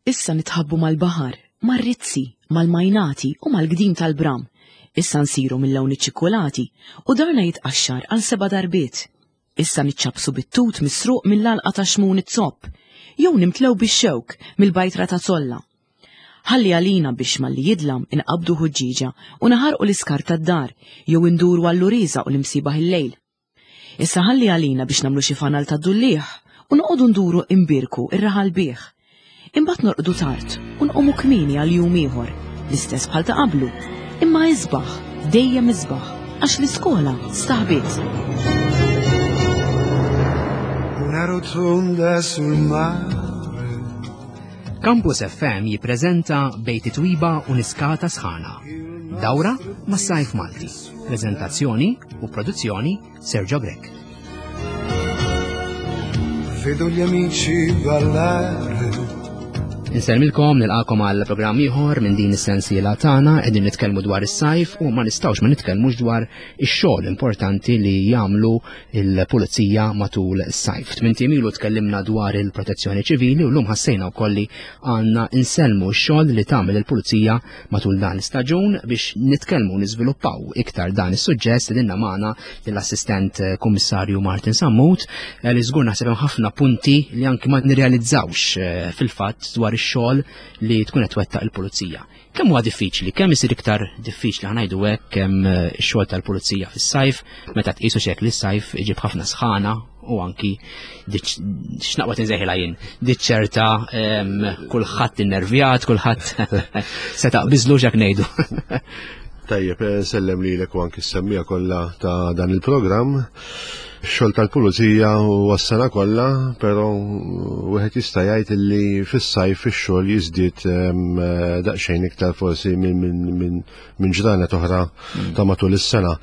Issa nitħabbu mal-baħar, mar-rizzi, mal-majnati u mal-gdim tal-bram. Issa nsiru mill-lawn iċ-ċikkulati u darna jitqaxxar għal seba' darbiet. Issa niċċappsu bit-tut misruq mill-għalqa ta' Xmun iz-Zopp, jew nimtlew bix-xewk mill-bajtra ta' Zolla. Ħalli għalina biex malli jidlam inqabbdu ħuġġieġa u naħarqu l-iskart tad-dar jew induru għall-uriża u l-imsiebaħ il-lejl. Issa ħalli għalina biex nagħmlu xi fanal tad-dulliegħ u noqogħdu nduru imbierku r-raħal bih. Imbagħad norqdu tard u nqumu kmieni għal jum ieħor, l-istess bħal ta' qablu, imma isbaħ, dejjem isbaħ, għax l-iskola staħbiet. Una rotonda sul mare. Campus FM jippreżenta Bejt Twiba u Niskata Sħana. Dawra mas-sajf Malti. Prezentazzjoni u produzzjoni Sergio Grech. Vedo gli amici ballare. Insellmilkom nilqakom għal programm ieħor minn din is-sensiela tagħna qegħdin nitkellmu dwar is-sajf u ma nistgħux ma nitkellmux dwar ix-xogħol importanti li jagħmlu il-pulizija matul is-sajf. Tmint ilu tkellimna dwar il-protezzjoni ċivili u llum ħassejna wkoll li għandna insellmu x-xogħol li tagħmel il-pulizija Matul dan l-istaġun biex nitkellmu u niżviluppaw iktar dan is-suġġett stedinna magħna lill-Assistent eh, Kummissarju Martin Sammut eh, li żgur naħseb hemm ħafna punti li anki ma nirrealizzawx eh, fil-fatt dwar ix-xogħol li tkun qed twettaq il-pulizija. Kemm huwa diffiċli, kemm isir iktar diffiċli ħanajdu hekk kemm ix-xogħol tal-pulizija fis-sajf meta tqisu xek li s-sajf iġib ħafna sħana u anki x'naqwa tinżeħilha jien. Diċ ċerta kulħadd innervjat, kulħadd se taqbiżlu x'hekk ngħidu. Tajjeb, eh, sellem lilek u anki s-semmija kollha ta' dan il-programm. Xogħol tal-pulizija u għas-sena kollha, però wieħed jista' jgħid li fis-sajf ix-xogħol jiżdied eh, daqsxejn iktar forsi minn minn ġranet oħra mm. ta' matul is-sena.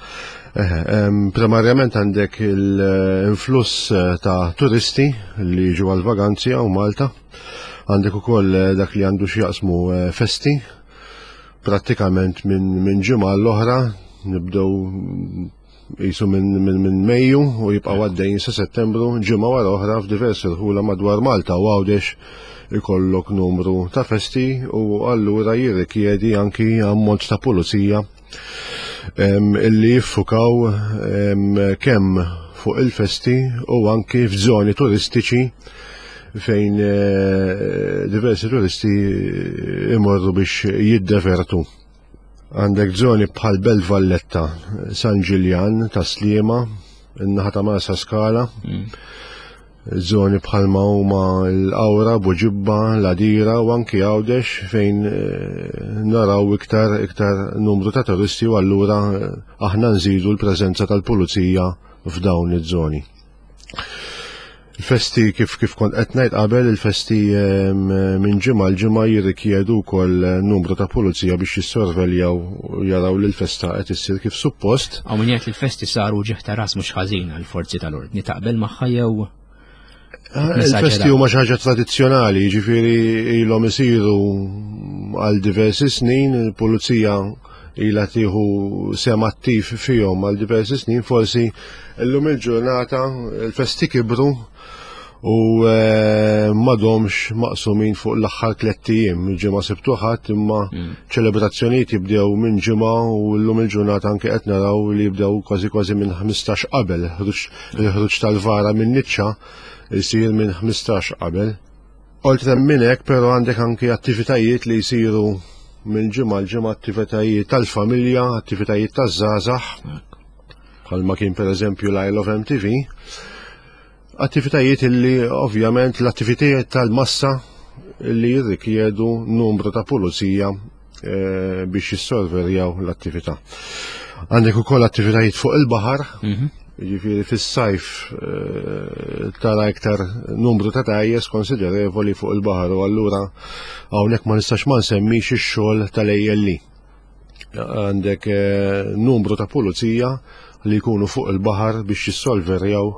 Primarjament għandek l-influss eh, ta' turisti li jiġu għal vaganzi għaw Malta. Għandek ukoll eh, dak li għandu x'jaqsmu eh, festi prattikament minn ġimgħa l-oħra nibdew Jisu minn min, min Mejju u jibqgħu għaddejjin sa Settembru ġimgħa wara oħra f'diversi rħula madwar Malta u Għawdex ikollok numru ta' festi u allura jirrikjedi anki ammont ta' pulizija illi jiffukaw kemm fuq il-festi u anki f'żoni turistiċi fejn eh, diversi turisti imorru biex jiddevertu. Għandek żoni bħal Belt Valletta, San Ġiljan, ta' Sliema, in-naħa ta' Marsa Skala, mm. żoni bħal ma huma l-Awra, Buġibba, l-Adira u anki Għawdex fejn eh, naraw iktar iktar numru ta' turisti u allura eh, aħna nżidu l-preżenza tal-pulizija f'dawn iż-żoni. Il-festi kif kif kont qed ngħid qabel, il-festi ehm, minn ġimgħa l ġimgħa jirrikjedu wkoll numru ta' pulizija biex jissorveljaw u jaraw li l-festa qed issir kif suppost. Hawn min jgħid li l-festi saru ġieħ ta' ras mhux ħażin għall-forzi tal-ordni taqbel magħha jew ah, Il-festi huma xi ħaġa tradizzjonali, jiġifieri ilhom isiru għal diversi snin, il-pulizija ilha tieħu sehem attiv fihom għal diversi snin, forsi llum il-ġurnata il-festi kibru u eh, m'għadhomx maqsumin fuq l-aħħar tlett ijiem, ġimgħa Sibt u Ħadd imma mm. ċelebrazzjonijiet jibdew minn ġimgħa u llum il-ġurnata anke qed naraw li jibdew kważi kważi minn 15 qabel, il-ħruġ tal-vara minn niċċa jsir minn 15 qabel. Oltre minn hekk però għandek anki attivitajiet li jsiru minn ġimgħa l ġimgħa attivitajiet tal-familja, attivitajiet taż-żgħażagħ, bħalma kien pereżempju l-Isle of MTV, attivitajiet li ovvjament l-attivitajiet tal-massa li jirrikjedu numru ta' pulizija eh, biex jissorveljaw l-attività. Għandek ukoll attivitajiet fuq il-baħar, mhm. jiġifieri fis-sajf eh, tara iktar numru ta' tajjes konsiderevoli fuq il-baħar u allura hawnhekk ma nistax ma nsemmix ix-xogħol tal-ALE. Għandek eh, numru ta' pulizija li jkunu fuq il-baħar biex jissolverjaw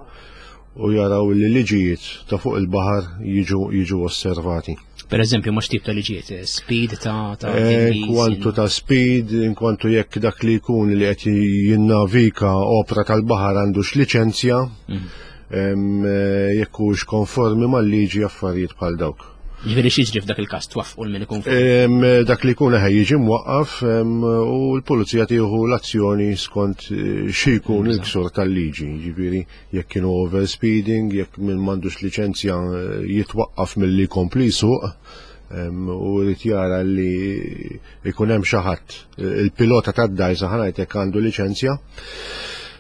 u jaraw li liġijiet ta' fuq il-baħar jiġu jiġu osservati. Per eżempju, ma x'tip ta' liġijiet, eh, speed ta' ta' eh, Kwantu ta' speed, inkwantu jekk dak li jkun li qed jinnavika opra tal-baħar għandux liċenzja, mhm. eh, jekk hux konformi mal-liġi affarijiet bħal dawk. Ġifieri x'jiġri f'dak il-każ twaffqu l min ikun Dak li jkun eħe jiġi mwaqqaf u l-pulizija tieħu l-azzjoni skont eh, xi jkun il-ksur tal-liġi. Ġifieri jekk kienu overspeeding, jekk min m'għandux liċenzja eh, jitwaqqaf milli jkompli jsuq u jrid jara li jkun hemm xi ħadd il-pilota tad-dajsa ħanajt jekk għandu liċenzja.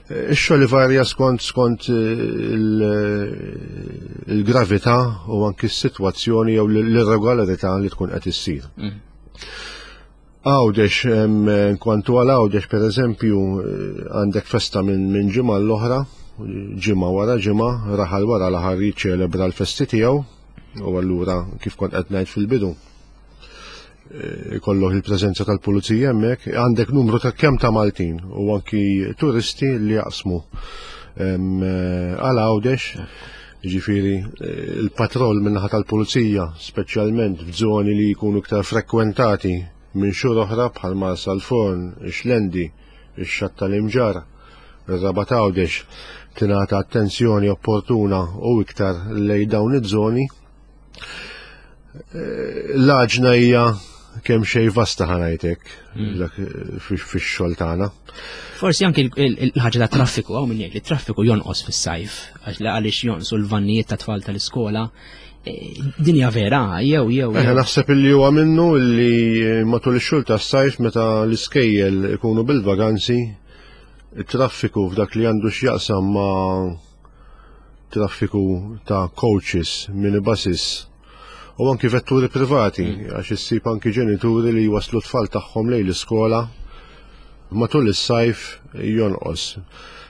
Ix-xogħol ivarja skont skont eh, il-gravità u anki s-sitwazzjoni jew l-irregolarità li tkun qed issir. Mm. Għawdex, kwantu għal Għawdex per eżempju, eh, għandek festa minn min ġimgħa l-oħra, ġimgħa wara ġimgħa, raħal wara l-aħħar jiċċelebra l-festi tiegħu, u allura kif kont qed ngħid fil-bidu Eh, ikollok il-preżenza tal-pulizija hemmhekk, għandek numru ta' kemm ta' Maltin u anki turisti li jaqsmu eh, għal Għawdex, ġifiri eh, il-patroll minnaħa tal-pulizija, speċjalment f'żoni li jkunu iktar frekwentati minn xhur oħra bħal Marsa l-Forn, ix-Xlendi, ix-Xatt tal-Imġarr, ir-Rabat Għawdex, tingħata attenzjoni opportuna u iktar lej dawn iż-żoni L-għaġna hija kemm xejn vasta ħanajtek mm. fix-xogħol tagħna. Forsi anki il-ħaġa ta' traffiku hawn min jgħid li traffiku jonqos fis-sajf għax għaliex jonqsu l-vannijiet ta' tfal tal-iskola. E, dinja vera, jew jew. Eh, naħseb illi huwa minnu li matul ix-xogħol tas-sajf meta l-iskejjel ikunu bil-vaganzi, it-traffiku f'dak li għandu x'jaqsam ma' traffiku ta' coaches, minibuses u anki vetturi privati mm. għax issib anki ġenituri li jwaslu tfal tagħhom lejn l-iskola matul is-sajf jonqos.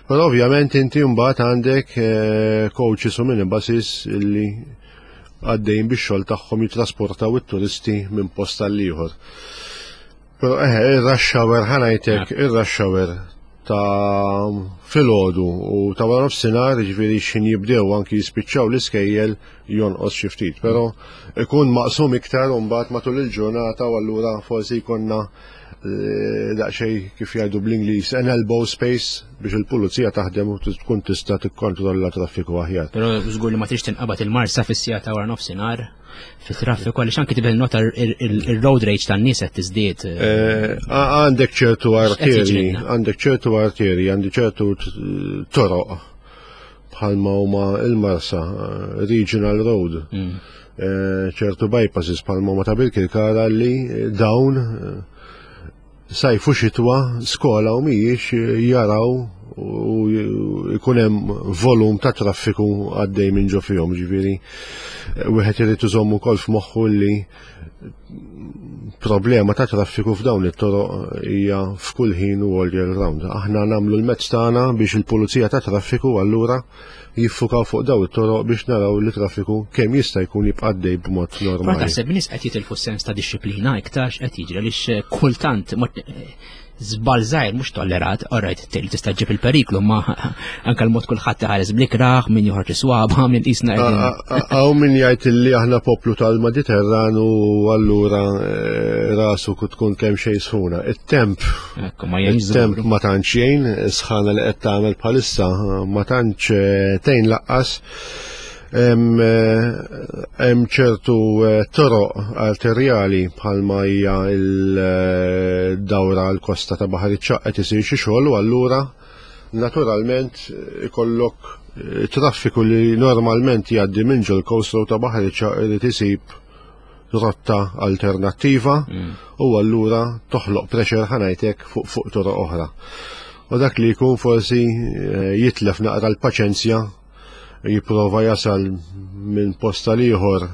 Però ovvjament inti mbagħad għandek eh, coaches u minibuses illi għaddejn bix-xogħol tagħhom jitrasportaw it-turisti minn post għal ieħor. Però eħe, ir-rush hour ħanajtek, ir-rush hour ta' filgħodu u ta' wara nofsinhar, jiġifieri x'ħin jibdew anki jispiċċaw l-iskejjel jonqos xi ftit, però ikun maqsum iktar u mbagħad matul il-ġurnata u allura forsi jkollna eh, daqsxejn kif jgħidu bl-Ingliż an elbow space biex il-pulizija taħdem u tkun tista' tikkontrolla traffiku aħjar. Però żgur li ma trix tinqabad il-marsa fis-sija ta' wara nofsinhar fit-traffiku għaliex anki tibel nota il-road rage tan-nies qed tiżdied. Eh, għandek ċertu arteri, għandek ċertu arteri, għandek ċertu toroq bħalma huma il-Marsa, eh, Regional Road, mm. eh, ċertu bypasses bħalma huma ta' Birkirkara li dawn sajf u xitwa skola u mhijiex jaraw u jkun hemm volum ta' traffiku għaddej minn ġo fihom, ġifieri wieħed irid iżomm ukoll f'moħħu li problema ta' traffiku f'dawn it-toroq hija f'kull ħin u all year round. Aħna nagħmlu l-mezz tagħna biex il-pulizija ta' traffiku allura jiffukaw fuq daw it-toroq biex naraw li traffiku kemm jista' jkun jibqa' għaddej b'mod normali. Ma taħseb nies qed jitilfu sens ta' disċiplina iktar x'qed jiġri għaliex eh, kultant eh, żball żgħir mhux tollerat, alright, tista' ġib il-periklu, ma anke l-mod kulħadd iħares blikraħ, min joħroġ iswaba, min qisna Hawn min jgħid li aħna poplu tal-Mediterran u allura eh, rasu tkun kemm xejn sħuna. It-temp It-temp ma tantx jgħin, sħana li qed tagħmel bħalissa ma tantx eh, tgħin laqqas. Eh, hemm ċertu eh, toroq arterjali bħalma hija l-dawra l-kosta ta' Baħar iċ-Ċaqq qed isir xi xogħol u allura naturalment ikollok traffiku li normalment jgħaddi minn ġol coast road ta' Baħar iċ-Ċaqq irid isib rotta alternattiva mm. u allura toħloq pressure ħanajtek fuq fuq toroq oħra. U dak li jkun forsi eh, jitlef naqra l-paċenzja jipprova jasal minn posta liħor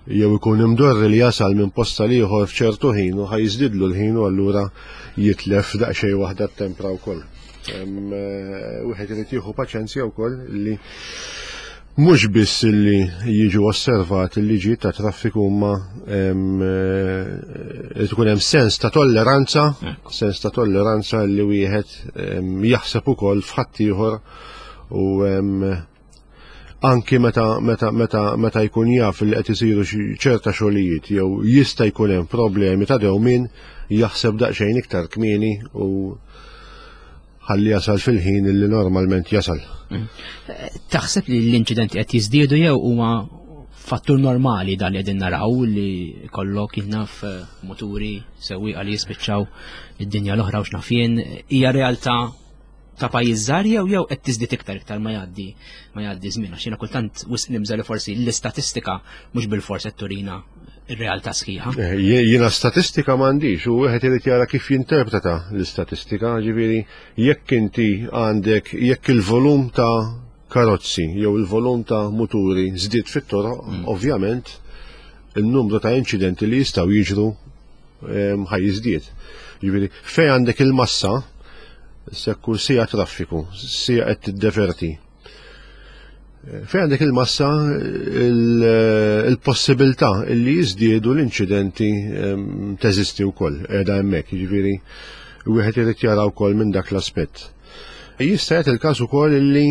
jew ikun imdorri li jasal minn posta liħor f'ċertu ħin u ħajżdidlu l-ħin u allura jitlef daqsxejn waħda t-tempra wkoll. Eh, wieħed irid jieħu paċenzja wkoll li Mhux biss li jiġu osservati l-liġijiet ta' traffiku imma eh, tkun hemm sens ta' tolleranza, sens ta' tolleranza li wieħed jaħseb ukoll f'ħaddieħor u anki meta meta meta meta jkun jaf li qed isiru ċerta xogħlijiet jew jista' jkun hemm problemi ta' dewmien jaħseb daqsxejn iktar kmieni u ħalli jasal fil-ħin li normalment jasal. Mm. Taħseb li l-inċidenti qed jiżdiedu jew huma fattur normali dan li qegħdin naraw li kollok jinnaf eh, muturi sewwieqa li jispiċċaw id-dinja l-oħra u x'naf jien hija realtà ta' pajjiż żgħar jew jew qed tiżdied iktar iktar ma jgħaddi ma jgħaddi żmien għax jiena kultant wisq nimża li forsi l-istatistika mhux bilfors qed turina ir-realtà sħiħa. Eh, jiena statistika m'għandix u wieħed irid jara kif jinterpreta l-istatistika, ġifieri jekk inti għandek jekk il-volum ta' karozzi jew il-volum ta' muturi żdied fit-toroq, mm. ovvjament il-numru ta' inċidenti li jistgħu jiġru ehm, ħaj jiżdied. Ġifieri fejn għandek il-massa, sekku sija traffiku, sija qed tiddeverti. Fejn għandek il-massa il-possibilità li jiżdiedu l-inċidenti ehm, teżisti wkoll qiegħda hemmhekk, jiġifieri wieħed irid jara wkoll minn dak l-aspett. Jista' jagħti il-każ ukoll illi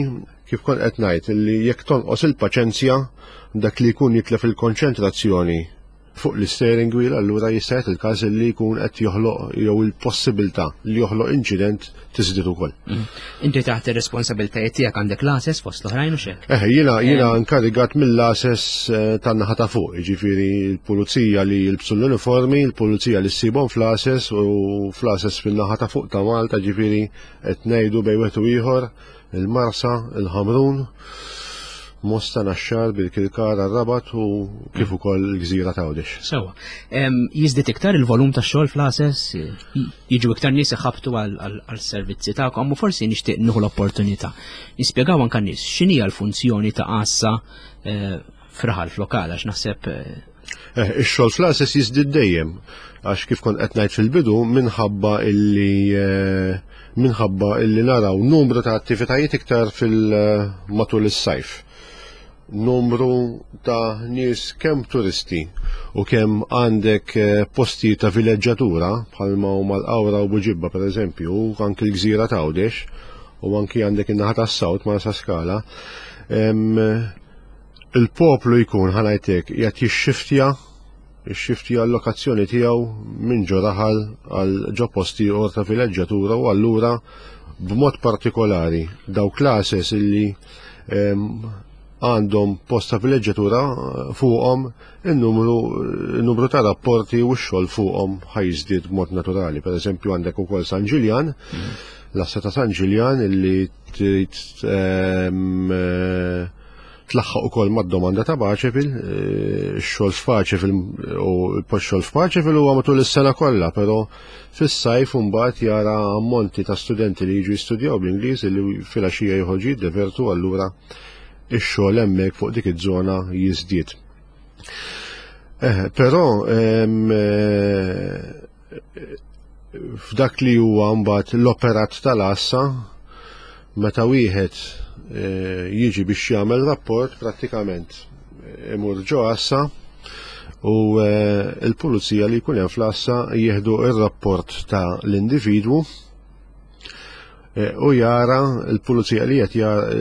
kif kont qed ngħid illi jekk tonqos il-paċenzja dak li jkun jitlef il-konċentrazzjoni fuq l-steering wheel allura jista' jagħti il-każ li jkun qed joħloq jew il-possibilità li joħloq inċident tiżdied ukoll. Mm. Inti taħt ir-responsabilitajiet tiegħek għandek l-ases fost l-oħrajn u xejn. Eh, jiena jiena nkarigat mill-ases eh, tan-naħa ta' fuq, jiġifieri l-pulizija li jilbsu l-uniformi, l-pulizija li ssibhom fl-ases u fl-ases fin-naħa ta' fuq ta' Malta, ġifieri qed ngħidu bejn wieħed u ieħor il-Marsa, il-Ħamrun, Mosta Naxxar, Birkirkara, Rabat u kif ukoll il-Gżira ta' Għawdex. Sewa. Jiżdied iktar il-volum ta' xogħol fl-ases, jiġu iktar nies iħabtu għal-servizzi tagħkom u forsi nixtieq nieħu l-opportunità. Nispjegaw anke nies x'inhi l-funzjoni ta' għassa eh, fraħal f'lokal għax naħseb eh, eh, Ix-xogħol fl-għases jiżdied dejjem għax kif kont qed ngħid fil-bidu minħabba illi eh, minħabba illi naraw numru ta' attivitajiet iktar fil-matul is-sajf. Numru ta' nies kemm turisti u kemm għandek postijiet ta' vileġġatura bħalma huma l-Qawra u Buġibba pereżempju, u anki l-Gżira ta' Għawdex u anki għandek in-naħa tas-Sawt ma' Saskala il-poplu jkun ħanajtek qiegħed jixxiftja jixxiftja l-lokazzjoni tiegħu minn ġo raħal għal ġo posti ieħor ta' vileġġatura u allura b'mod partikolari dawk classes illi għandhom post ta' vileġġatura fuqhom in-numru numru ta' rapporti u x-xogħol fuqhom ħajżdied b'mod naturali. Per eżempju għandek ukoll San Ġiljan, l-assa ta' San Ġiljan illi trid eh, tlaħħaq ukoll mad-domanda ta' Paċevil, eh, x-xogħol f'Paċevil u l-post-xogħol f'Paċevil huwa matul is-sena kollha, però fis-sajf imbagħad jara ammonti ta' studenti li jiġu jistudjaw bl-Ingliż li filgħaxija joħorġu jiddevertu allura ix-xogħol hemmhekk fuq dik iż-żona jiżdied. Eh, però eh, f'dak li huwa mbagħad l-operat tal-għassa meta wieħed eh, jiġi biex jagħmel rapport prattikament eh, imur ġo għassa u eh, l-pulizija li jkun hemm fl-għassa jieħdu ir-rapport ta' l-individwu Eh, u jara l-pulizija li qed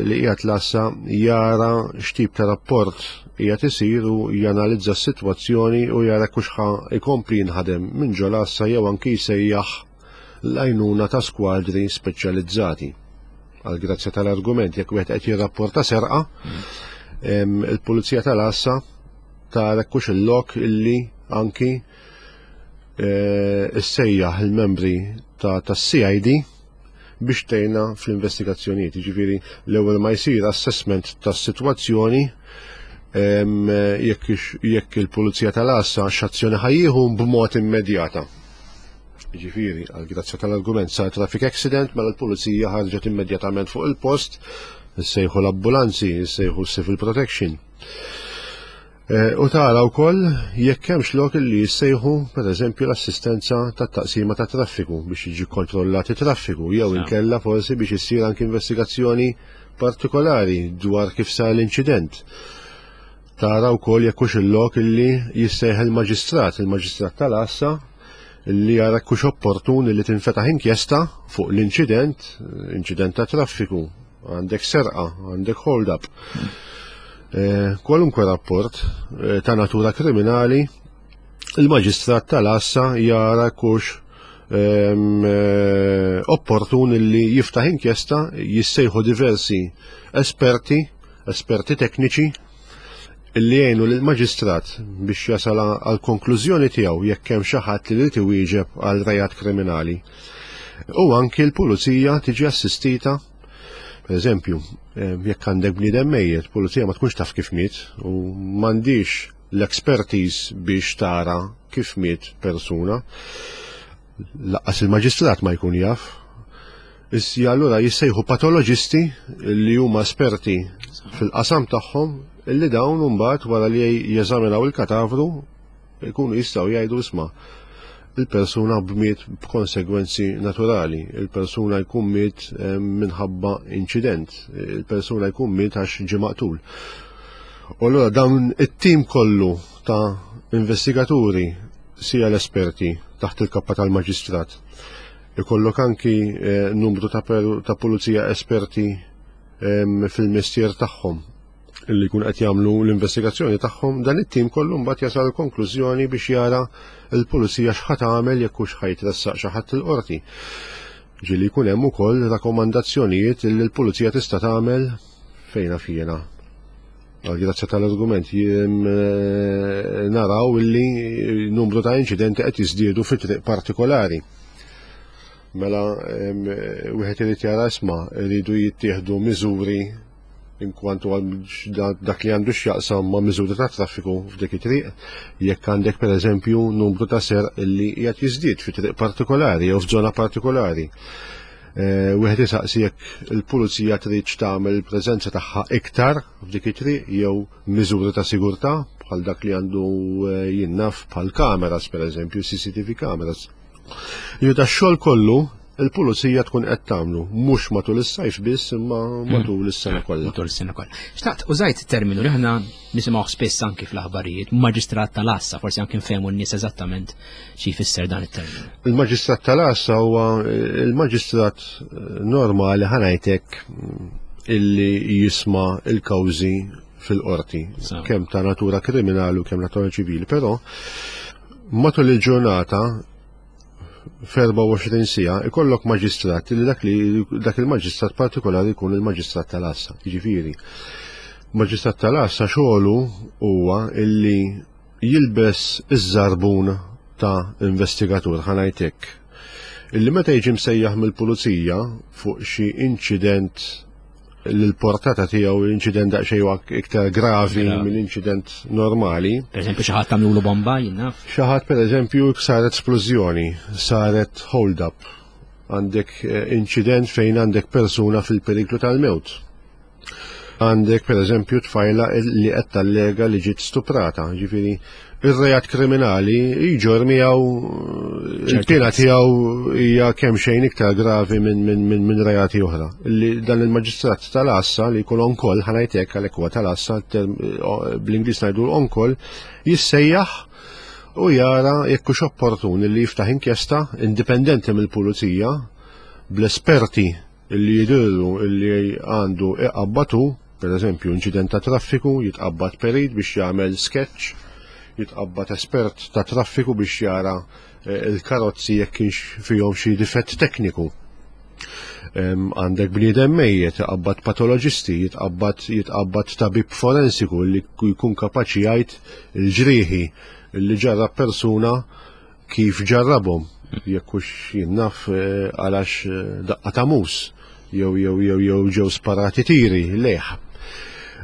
li qiegħed lassa jara x'tip ta' rapport qiegħed isir u janalizza s-sitwazzjoni u jara kux ħa ikompli jinħadem minn ġo lassa jew anki jsejjaħ l-għajnuna ta' skwadri speċjalizzati. Għal grazzja tal-argument jekk wieħed qed jirrapporta serqa, il-pulizija tal-għassa tara kux il-lok illi anki eh, issejjaħ il-membri tas-CID biex tgħinna fl-investigazzjonijiet. Jiġifieri l-ewwel ma jsir assessment tas-sitwazzjoni jekk il-Pulizija tal-Għassa x'azzjoni ħajjieħu b'mod immedjata. Jiġifieri, għal grazzja tal-argument sar traffic accident mela l-Pulizija ħarġet immedjatament fuq il-post, issejħu l-ambulanzi, issejħu civil protection. Eh, u tara wkoll jekk hemmx lok li jissejħu pereżempju l-assistenza tat-taqsima ta' traffiku biex jiġi kontrollat it-traffiku jew inkella forsi biex issir anki investigazzjoni partikolari dwar kif sar l-inċident. Tara wkoll jekk hux il-lok illi jissejħ il-maġistrat, il-maġistrat tal-għassa li jara kux opportun li tinfetaħ inkjesta fuq l-inċident, inċident ta' traffiku, għandek serqa, għandek hold up. Eh, kwalunkwe rapport eh, ta' natura kriminali, il-maġistrat tal-assa jara kux ehm, eh, opportun li jiftaħ inkjesta, jissejħu diversi esperti, esperti tekniċi, illi jgħinu lill-maġistrat biex jasal għal konklużjoni tiegħu jekk hemm xi ħadd li jrid iwieġeb għal rejat kriminali. U anki l-pulizija tiġi assistita. Per eżempju, jekk għandek bniedem mejjet, pulizija ma tkunx taf kif miet u m'għandix l-expertise biex tara kif miet persuna. Laqqas il-maġistrat ma jkun jaf. Issa allura jissejħu patoloġisti li huma esperti fil-qasam tagħhom illi dawn mbagħad wara li jeżaminaw il-katavru jkunu jistgħu jgħidu isma' il-persuna bmiet b'konsegwenzi naturali, il-persuna jkun miet eh, minħabba inċident, il-persuna jkun miet għax ġie maqtul. U allura dawn it-tim kollu ta' investigaturi sija l-esperti taħt il-kappa tal-maġistrat. Ikollok anki eh, numru ta', ta pulizija esperti eh, fil-mestier tagħhom li jkun qed jagħmlu l-investigazzjoni tagħhom, dan it-tim kollu mbagħad jasal konklużjoni biex jara l-pulizija x'ħa tagħmel jekk hux ħa jitressaq xi ħadd il-qorti. Ġieli jkun hemm ukoll rakkomandazzjonijiet li l-pulizija tista' tagħmel fejna fjena. Għal-grazzja tal-argument jiem eh, naraw illi numru ta' inċidenti qed jiżdiedu fi triq partikolari. Mela wieħed irid jara isma' iridu jittieħdu miżuri inkwantu għal dak li għandu x'jaqsam ma' miżuri ta' traffiku f'dik it-triq, jekk għandek pereżempju numru ta' ser li qiegħed jiżdied fi triq partikolari jew f'żona partikolari. Eh, wieħed isaqsi jekk il-pulizija trid tagħmel il-preżenza tagħha iktar f'dik it-triq jew miżuri ta' sigurtà bħal dak li għandu eh, jinnaf bħal kameras pereżempju, CCTV kameras. Li da xogħol kollu il-pulizija tkun qed tagħmlu mhux matul is-sajf biss imma hmm. matul is-sena kollha. Matul is-sena kollha. Xtaqt użajt terminu li aħna nisimgħu spiss anki fl-aħbarijiet, maġistrat tal-assa, forsi anki nfehmu n-nies eżattament xi jfisser dan it-terminu. Il-maġistrat tal-assa huwa il-maġistrat normali ħanajtek illi jisma' il-kawżi fil-qorti, kemm ta' natura kriminali u kemm natura ċivili, però Matul il-ġurnata f'24 siegħa ikollok maġistrat li dak li dak il-maġistrat partikolari jkun il-maġistrat tal-għassa. Jiġifieri, maġistrat tal-għassa xogħlu huwa illi jilbes iż-żarbun ta' investigatur ħanajtek. Illi meta jiġi msejjaħ mill-pulizija fuq xi inċident l-portata tiegħu inċident daqsxejn iktar gravi minn inċident normali. Per eżempju xi ħadd tagħmlu bomba jien naf. Xi ħadd pereżempju saret splużjoni, saret hold up. Għandek eh, inċident fejn għandek persuna fil-periklu tal-mewt. Għandek pereżempju tfajla li qed tallega li ġiet stuprata, ġifieri ir-reat kriminali jġor miegħu il-pena tiegħu hija kemm xejn iktar gravi minn min, min, min reati oħra. Li dan il-maġistrat tal-assa li jkun on-call, ħanajtek għalhekk huwa tal-assa, bl-Ingliż ngħidu on-call, jissejjaħ u jara jekk hux opportun li jiftaħ inkjesta indipendenti mill-pulizija bl-esperti li jidhirlu li għandu iqabbad hu, per eżempju inċident ta' traffiku, jitqabbad perit biex jagħmel sketch, jitqabbad espert ta' traffiku biex jara eh, il-karozzi jekk kienx fihom xi difett tekniku. Għandek bniedem mejjet, iqabbad patoloġisti, jitqabbad jitqabbad tabib forensiku li jkun kapaċi jgħid il-ġrieħi li ġarrab persuna kif ġarrabhom, jekk hux jien naf eh, għalax eh, daqqa ta' mus jew jew jew jew ġew sparati tiri lejh.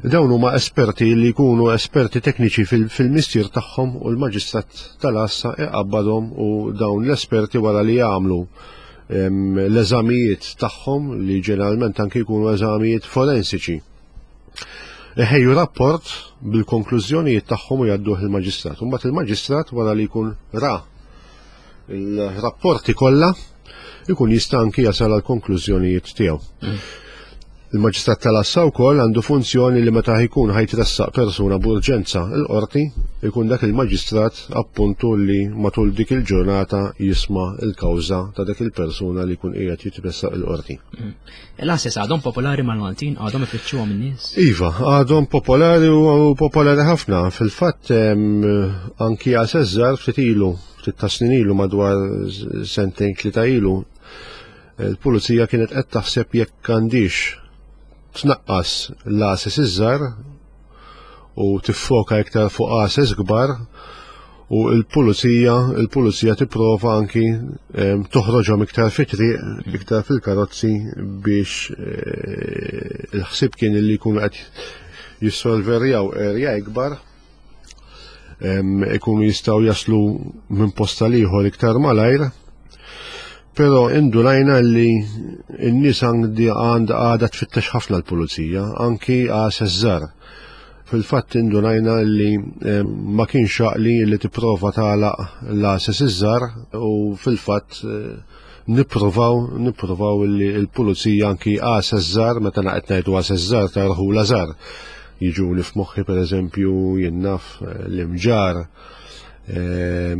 Dawn huma esperti li jkunu esperti tekniċi fil-mistier tagħhom u l-maġistrat tal-għassa iqabbadhom u dawn l-esperti wara li jagħmlu l-eżamijiet tagħhom li ġeneralment anke jkunu eżamijiet forensiċi. Iħejju rapport bil-konklużjonijiet tagħhom u jgħadduh il-maġistrat. Imbagħad il-maġistrat wara li jkun ra il-rapporti kollha jkun jista' anki jasal għal konklużjonijiet tiegħu. Mm. Il-maġistrat tal-assa wkoll għandu funzjoni li meta jkun ħajtressaq persuna b'urġenza l-qorti, ikun dak il-maġistrat appuntu li matul dik il-ġurnata jisma' il-kawża ta' dak il-persuna li jkun qiegħed jitressaq il-qorti. Mm. L-għases għadhom popolari mal-Maltin, għadhom ifittxuhom in-nies? Iva, għadhom popolari u popolari ħafna. Fil-fatt anki għases żgħar ftit ilu, ftit ta' snin ilu madwar sentejn tlieta ilu, il-pulizija kienet qed taħseb jekk għandix tnaqqas l-għases iż-żgħar. u tiffoka iktar fuq għases kbar u l-pulizija il-pulizija tipprova anki toħroġhom iktar fit-triq, iktar fil-karozzi biex eh, il-ħsieb kien li jkunu qed jissolverjaw area ikbar ikunu jistgħu jaslu minn posta liħor iktar malajr. Però indunajna li n-nies għandi għand għada tfittex ħafna l-pulizija, anki għases żar. Fil-fatt indunajna li ma kienx għaqli li tipprova tagħlaq l-għases iż-żar u fil-fatt eh, nippruvaw nippruvaw li l-pulizija anki għases żar meta qed ngħidu għases żar ta' rħula żar. Jiġuni f'moħħi pereżempju jien naf eh, l-imġar eh,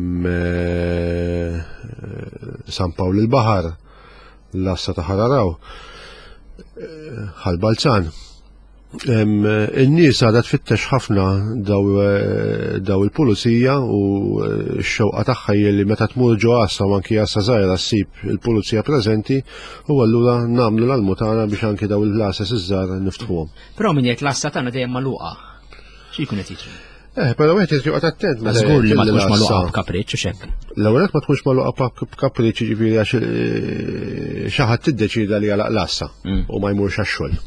San Pawl il-Baħar, l-Assa ta' Ħararaw, eh, Ħal Balzan. In-nies għadha tfittex ħafna daw, eh, daw il-pulizija u eh, x-xewqa tagħha hija li meta tmur ġo għassa u anki għassa żgħira ssib il-pulizija preżenti u allura nagħmlu l-almutana biex anki daw il-għasas iż-żgħar niftħuhom. Però min jgħid l-għassa tagħna dejjem magħluqa. Xi jkun qed jiġri? Eh, però wieħed irid joqgħod attent meta Żgur li ma tkunx magħluqa b'kapriċċ u xekk. L-ewwel ma tkunx magħluqa b'kapriċċ jiġifieri għax eh, xi ħadd tiddeċida li jagħlaq l-għassa mm. u ma jmurx għax-xogħol.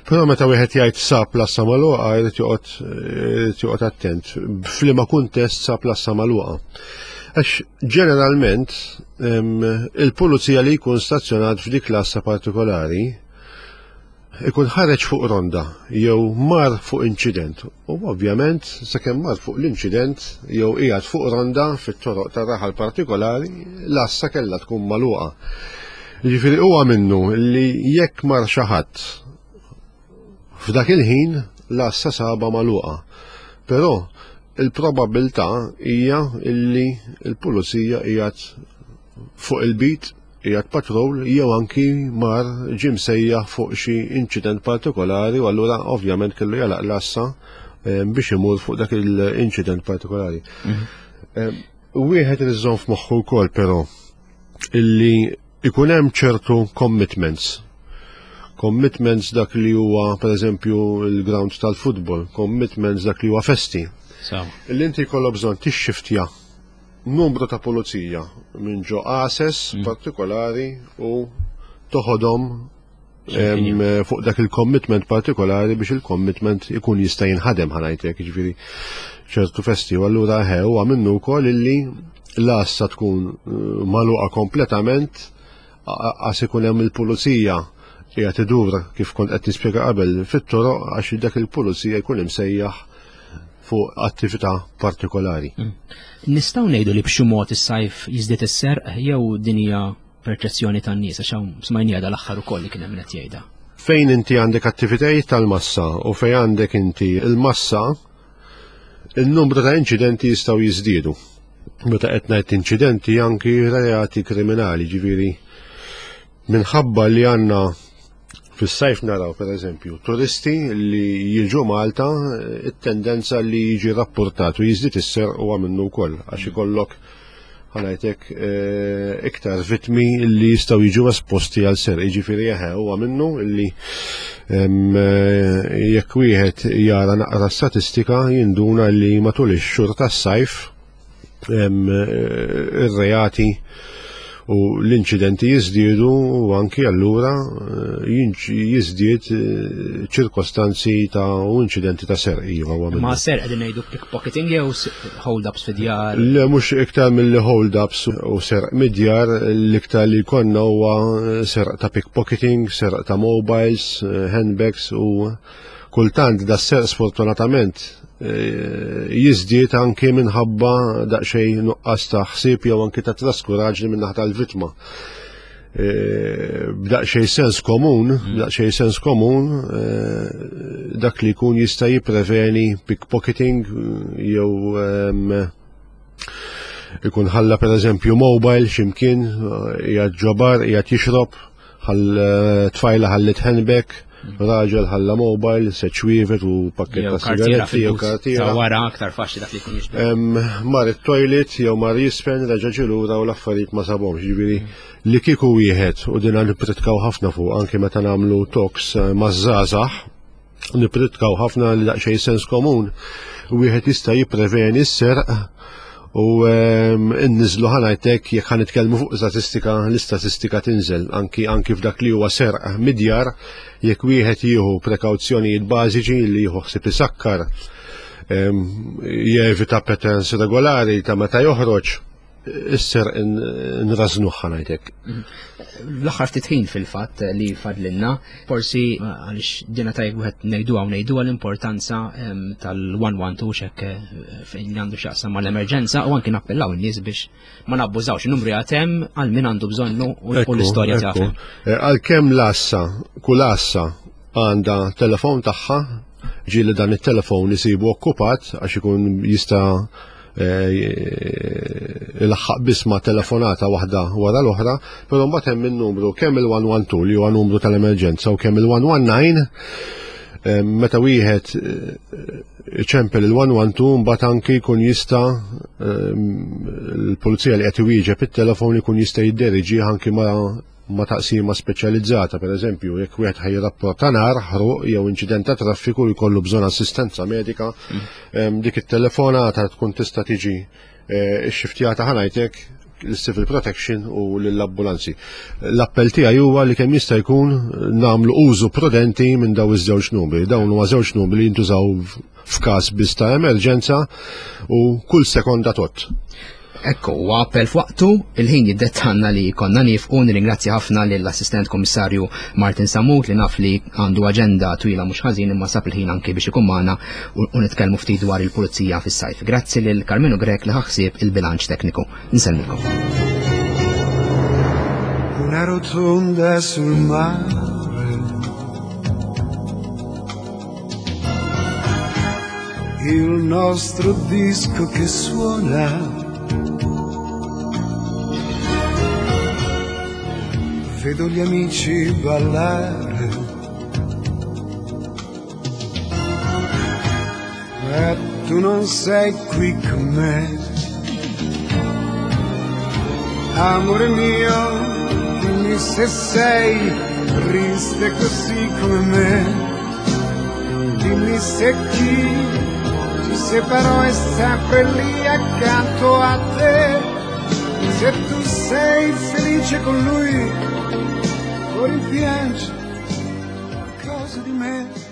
Però meta wieħed jgħid sab l-għassa magħluqa jrid joqgħod irid joqgħod attent f'liema kuntest sab l-għassa magħluqa. Għax ġeneralment il-pulizija li jkun stazzjonat f'dik l-għassa partikolari ikun ħareġ fuq ronda jew mar fuq inċident u ovvjament sakemm mar fuq l-inċident jew qiegħed fuq ronda fit-toroq tar-raħal partikolari l-għassa kellha tkun magħluqa. Jiġifieri huwa minnu li jekk mar xi ħadd f'dak il-ħin l-għassa saba magħluqa. Però il-probabilità hija illi l-pulizija qiegħed fuq il-bit qiegħed patrol jew anki mar ġie msejjaħ fuq xi inċident partikolari u allura ovvjament kellu jalaq l-assa eh, biex imur fuq dak il-inċident partikolari. Mhm. Eh, wieħed irid iżomm f'moħħu wkoll però illi ikun hemm ċertu commitments. Commitments dak li huwa pereżempju il-ground tal-futbol, commitments dak li huwa festi. Illi inti jkollok bżonn tixxiftja numru ta' pulizija minn ġo għases mm. partikolari u toħodhom fuq dak il-commitment partikolari biex il-commitment ikun jista' jinħadem ħanajtek, ġifieri ċertu festi u allura ħe huwa minnu wkoll illi l-għassa tkun eh, magħluqa kompletament għas ikun hemm il-pulizija qiegħed idur kif kont qed nispjega qabel fit-toroq għax dak il-pulizija jkun imsejjaħ fuq attività partikolari. Mm. Nistgħu ngħidu li b'xi mod is-sajf jiżdied is-serq jew din hija perċezzjoni tan-nies għax hawn smajnija dal-aħħar ukoll li kien hemm qed jgħidha. Fejn inti għandek attivitajiet tal-massa u fejn għandek inti il-massa, il-numru ta' inċidenti jistgħu jiżdiedu. Meta qed ngħid inċidenti anki reati kriminali, ġifieri minħabba li għandna fis-sajf naraw pereżempju turisti li jiġu Malta it-tendenza li jiġi rapportat u jiżdied is-serq huwa minnu wkoll għax ikollok ħanajtek eh, iktar vitmi li jistgħu jiġu esposti għal serq. Jiġifieri eħe huwa minnu li eh, jekk wieħed jara naqra statistika jinduna li matul ix-xhur tas-sajf ir-reati u l-inċidenti jiżdiedu u anki allura eh, jiżdied eh, ċirkostanzi ta' u inċidenti ta' serq iva. Ma serq qegħdin ngħidu pickpocketing jew hold-ups fid-djar? Le mhux iktar mill hold-ups u serq mid-djar l-iktar li jkollna huwa serq ta' pickpocketing, serq ta' mobiles, eh, handbags u Kultant da serq sfortunatament eh, jiżdied anki minħabba daqsxejn nuqqas ta' ħsieb jew anki ta' traskuraġni minn naħa tal-vittma. Eh, b'daqsxejn sens komun, mm. b'daqsxejn sens komun, eh, dak li jkun jista' jippreveni pickpocketing jew ehm, ikun ħalla per eżempju mobile ximkien, qiegħed ġobar, qiegħed jixrob, ħall eh, tfajla ħallit handbag, raġel ħalla mobile, seċwievet u pakket ta' sigaretti jew kartiera. Wara aktar faċli dak li jkun jixtieq. Mar it-toilet jew mar jisfen reġa' ġie lura u l-affarijiet ma sabhomx, jiġifieri mm. li kieku wieħed u dinha nippritkaw ħafna fuq anke meta nagħmlu talks eh, maż-żgħażagħ. Nipritkaw ħafna li daqsxejn sens komun wieħed jista' jippreveni s-serq u nniżlu ħanajtek jekk ħa nitkellmu fuq statistika, l-istatistika tinżel anki anki f'dak li huwa serq midjar jekk wieħed jieħu prekawzjonijiet bażiċi li jieħu ħsieb isakkar jevita patterns regolari ta' meta joħroġ isser nrażnuh ħanajtek. L-aħħar ftit ħin fil-fatt li fadlinna, forsi għaliex dina tajjeb wieħed ngħiduha u ngħiduha l-importanza tal-112 xek eh, fejn li għandu x'jaqsam mal-emerġenza u anki nappellaw in-nies biex ma nabbużawx in-numru jagħtem għal min għandu bżonnu u l-istorja tagħha. Eh, għalkemm l-assa, kull assa għandha telefon tagħha, ġieli dan it-telefon isibu okkupat għax ikun jista' eh, ilaħħaq biss ma' telefonata waħda wara l-oħra, però mbagħad hemm in-numru kemm il-112 li huwa numru tal-emerġenza u kemm il-119 eh, meta wieħed eh, iċempel il-112 mbagħad anki jkun jista' l-pulizija li qed iwieġeb it-telefon ikun jista' jidderiġi anki ma' ma' taqsima speċjalizzata, per eżempju, jekk wieħed ħaj jirrapporta nar, ħruq jew inċident ta' traffiku jkollu bżonn assistenza medika, mm. dik it-telefonata tkun tista' tiġi eh, xxiftjata ħanajtek l-civil protection u l-ambulanzi. L-appell tiegħi huwa li kemm jista' jkun nagħmlu użu prudenti minn daw iż-żewġ numri. Dawn huwa żewġ numri li jintużaw f'każ biss ta' emerġenza u kull sekonda tot. Ekku, huwa appell f'waqtu, il-ħin jiddettanna li konna nifqu, nirringrazzja ħafna lill-Assistent Kummissarju Martin Sammut li naf li għandu aġenda twila mhux ħażin imma sab il-ħin anki biex ikun magħna u nitkellmu ftit dwar il-pulizija fis-sajf. Grazzi lil Karmenu Grech li ħaħsieb il-bilanċ tekniku. Nsellmilkom. Una rotonda sul mare Il nostro disco che suona Vedo gli amici ballare Ma tu non sei qui con me Amore mio, dimmi se sei triste così come me. Dimmi se chi ti separò è sempre lì accanto a te. Se tu sei felice con lui, o rimpiangi qualcosa di me.